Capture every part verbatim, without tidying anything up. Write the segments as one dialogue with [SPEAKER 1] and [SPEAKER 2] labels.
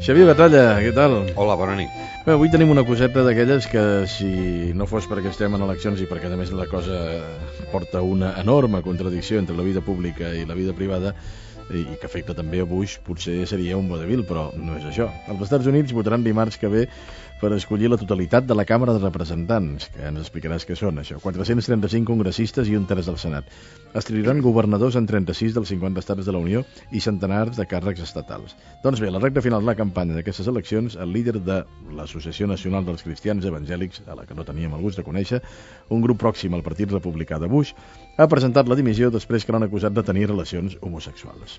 [SPEAKER 1] Xavier Batalla, què tal?
[SPEAKER 2] Hola, bona nit.
[SPEAKER 1] Bé, avui tenim una coseta d'aquelles que si no fos perquè estem en eleccions i perquè a més la cosa porta una enorme contradicció entre la vida pública i la vida privada i que afecta també a Bush, potser seria un vodevil, però no és això. Els Estats Units votaran dimarts que ve per escollir la totalitat de la Càmera de Representants, que ens explicaràs què són, això. quatre-cents trenta-cinc congressistes i un terç del Senat. Es triaran governadors en trenta-sis dels cinquanta estats de la Unió i centenars de càrrecs estatals. Doncs bé, a la recta final de la campanya d'aquestes eleccions, el líder de l'Associació Nacional dels Cristians Evangèlics, a la que no teníem el gust de conèixer, un grup pròxim al Partit Republicà de Bush, ha presentat la dimissió després que l'han acusat de tenir relacions homosexuals.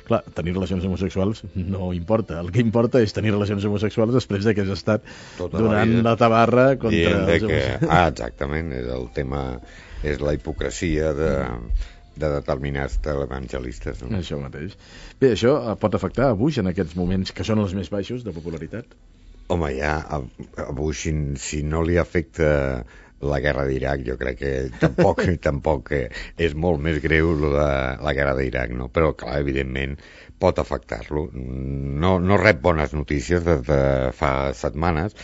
[SPEAKER 1] Clar, tenir relacions homosexuals no importa. El que importa és tenir relacions homosexuals després que has estat tota donant la, la tabarra contra els
[SPEAKER 2] que... Ah, exactament, és el tema, és la hipocresia de, de determinats televangelistes. No?
[SPEAKER 1] Això mateix. Bé, això pot afectar a Bush en aquests moments que són els més baixos de popularitat?
[SPEAKER 2] Home, ja, a, a Bush, si, si no li afecta la guerra d'Iraq, jo crec que tampoc, tampoc és molt més greu la, la guerra d'Iraq, no? Però, clar, evidentment, pot afectar-lo. No, no rep bones notícies des de fa setmanes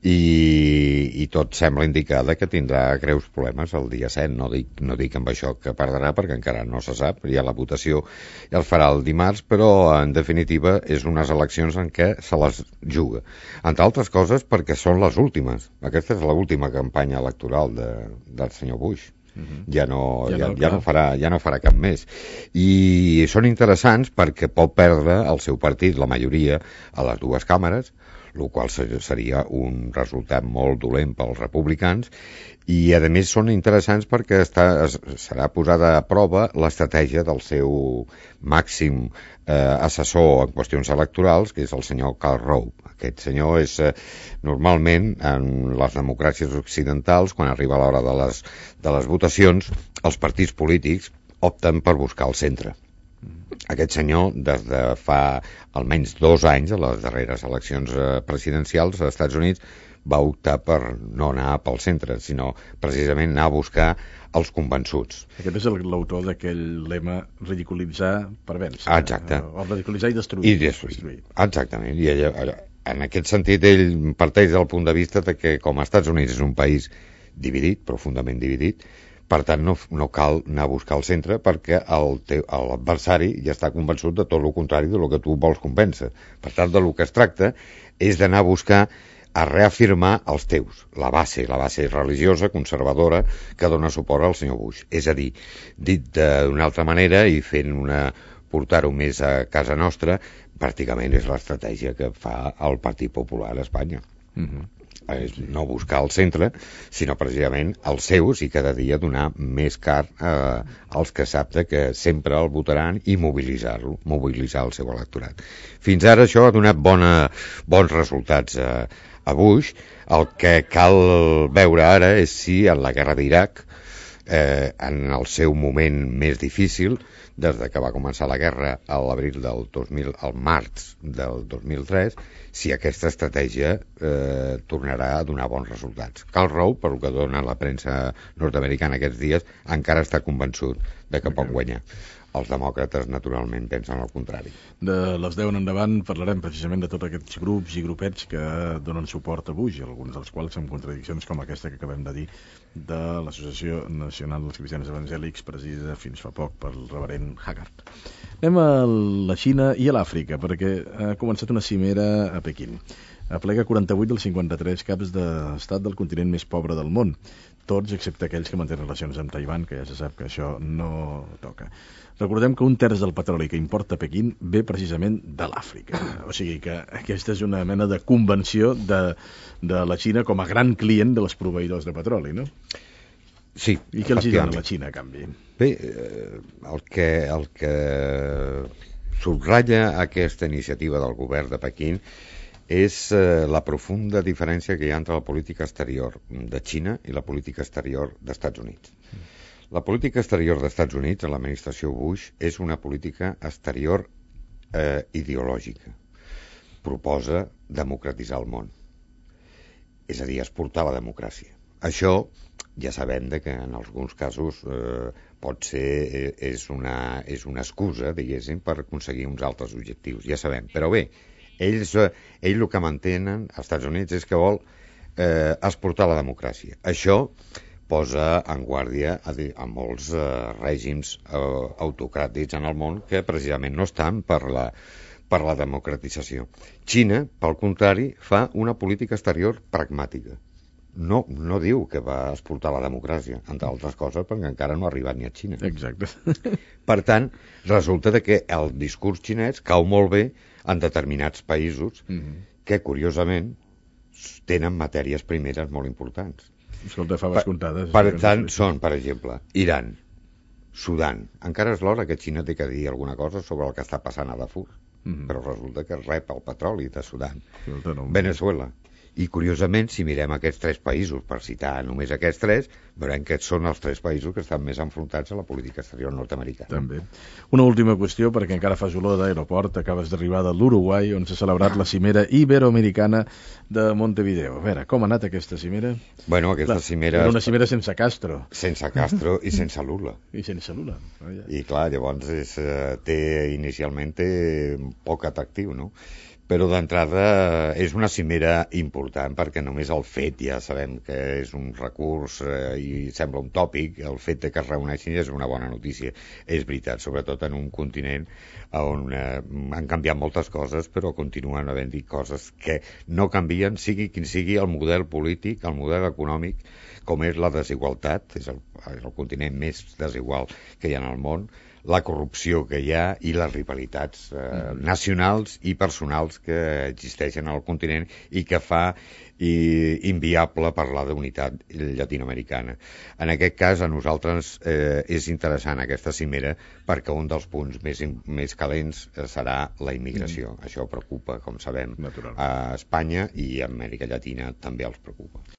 [SPEAKER 2] i, i tot sembla indicar que tindrà greus problemes el dia set. No dic, no dic amb això que perdrà, perquè encara no se sap, ja la votació ja el farà el dimarts, però en definitiva és unes eleccions en què se les juga. Entre altres coses perquè són les últimes. Aquesta és l'última campanya electoral de, del senyor Bush. Uh-huh. Ja, no, ja, ja, no, ja, no farà, ja no farà cap més. I són interessants perquè pot perdre el seu partit, la majoria, a les dues càmeres, el qual seria un resultat molt dolent pels republicans, i a més són interessants perquè està, serà posada a prova l'estratègia del seu màxim eh, assessor en qüestions electorals, que és el senyor Karl Rove. Aquest senyor és eh, normalment en les democràcies occidentals, quan arriba l'hora de les, de les votacions, els partits polítics opten per buscar el centre. Aquest senyor, des de fa almenys dos anys, a les darreres eleccions presidencials als Estats Units, va optar per no anar pel centre, sinó precisament anar a buscar els convençuts.
[SPEAKER 1] Aquest és l'autor d'aquell lema ridiculitzar per vèncer.
[SPEAKER 2] Exacte.
[SPEAKER 1] O ridiculitzar i destruir.
[SPEAKER 2] I destruir. destruir. Exactament. I ell, en aquest sentit, ell parteix del punt de vista de que, com els Estats Units és un país dividit, profundament dividit, per tant, no, no cal anar a buscar el centre perquè l'adversari ja està convençut de tot el contrari del que tu vols convèncer. Per tant, del que es tracta és d'anar a buscar a reafirmar els teus, la base, la base religiosa, conservadora, que dona suport al senyor Bush. És a dir, dit d'una altra manera i fent una portar-ho més a casa nostra, pràcticament és l'estratègia que fa el Partit Popular a Espanya. Mhm. És no buscar el centre, sinó precisament els seus i cada dia donar més car eh, als que sap que sempre el votaran i mobilitzar-lo, mobilitzar el seu electorat. Fins ara això ha donat bona, bons resultats a, a Bush. El que cal veure ara és si en la guerra d'Iraq, eh, en el seu moment més difícil, des de que va començar la guerra a l'abril del dos mil, al març del dos mil tres, si aquesta estratègia eh, tornarà a donar bons resultats. Karl Rove, per el que dona la premsa nord-americana aquests dies, encara està convençut de que pot guanyar. Els demòcrates, naturalment, pensen el contrari.
[SPEAKER 1] De les deu en endavant parlarem precisament de tots aquests grups i grupets que donen suport a Bush, alguns dels quals amb contradiccions com aquesta que acabem de dir de l'Associació Nacional dels Cristians Evangèlics, presidida fins fa poc pel reverend Haggard. Anem a la Xina i a l'Àfrica, perquè ha començat una cimera a Pequín. Aplega quaranta-vuit dels cinquanta-tres caps d'estat del continent més pobre del món, tots excepte aquells que mantenen relacions amb Taiwan, que ja se sap que això no toca. Recordem que un terç del petroli que importa Pequín ve precisament de l'Àfrica. O sigui que aquesta és una mena de convenció de, de la Xina com a gran client dels proveïdors de petroli, no?
[SPEAKER 2] Sí,
[SPEAKER 1] i què els hi dona la Xina a canvi?
[SPEAKER 2] Bé, el que, el que subratlla aquesta iniciativa del govern de Pequín és eh, la profunda diferència que hi ha entre la política exterior de Xina i la política exterior dels Estats Units. La política exterior dels Estats Units, a l'administració Bush, és una política exterior eh, ideològica. Proposa democratitzar el món. És a dir, exportar la democràcia. Això ja sabem de que en alguns casos eh, pot ser eh, és, una, és una excusa, diguéssim, per aconseguir uns altres objectius, ja sabem. Però bé, ells, eh, ells el que mantenen als Estats Units és que vol eh, exportar la democràcia. Això posa en guàrdia a, a molts eh, règims eh, autocràtics en el món que precisament no estan per la, per la democratització. Xina, pel contrari, fa una política exterior pragmàtica. No, no diu que va exportar la democràcia, entre altres coses, perquè encara no ha arribat ni a Xina.
[SPEAKER 1] Exacte.
[SPEAKER 2] Per tant, resulta que el discurs xinès cau molt bé en determinats països mm-hmm. que, curiosament, tenen matèries primeres molt importants.
[SPEAKER 1] Escolta, faves comptades.
[SPEAKER 2] Per, per tant, són, per exemple, Iran, Sudan. Encara és l'hora que Xina té que dir alguna cosa sobre el que està passant a Darfur, mm-hmm. però resulta que rep el petroli de Sudan.
[SPEAKER 1] Escolta, no...
[SPEAKER 2] Venezuela. I, curiosament, si mirem aquests tres països, per citar només aquests tres, veurem que són els tres països que estan més enfrontats a la política exterior nord-americana.
[SPEAKER 1] També. Una última qüestió, perquè encara fas olor d'aeroport. Acabes d'arribar de l'Uruguai, on s'ha celebrat la cimera iberoamericana de Montevideo. A veure, com ha anat aquesta cimera?
[SPEAKER 2] Bueno, aquesta
[SPEAKER 1] clar,
[SPEAKER 2] cimera...
[SPEAKER 1] Era una cimera sense Castro.
[SPEAKER 2] Sense Castro i sense Lula.
[SPEAKER 1] I sense Lula. Oh, ja.
[SPEAKER 2] I, clar, llavors és, té, inicialment té poc atractiu, no? Però d'entrada és una cimera important perquè només el fet, ja sabem que és un recurs eh, i sembla un tòpic, el fet de que es reuneixin és una bona notícia. És veritat, sobretot en un continent on eh, han canviat moltes coses, però continuen havent-hi coses que no canvien, sigui quin sigui el model polític, el model econòmic, com és la desigualtat, és el, és el continent més desigual que hi ha en el món, la corrupció que hi ha i les rivalitats eh, mm. nacionals i personals que existeixen al continent i que fa i, inviable parlar d'unitat llatinoamericana. En aquest cas, a nosaltres eh, és interessant aquesta cimera perquè un dels punts més, més calents serà la immigració. Mm. Això preocupa, com sabem, a Espanya i a Amèrica Llatina també els preocupa.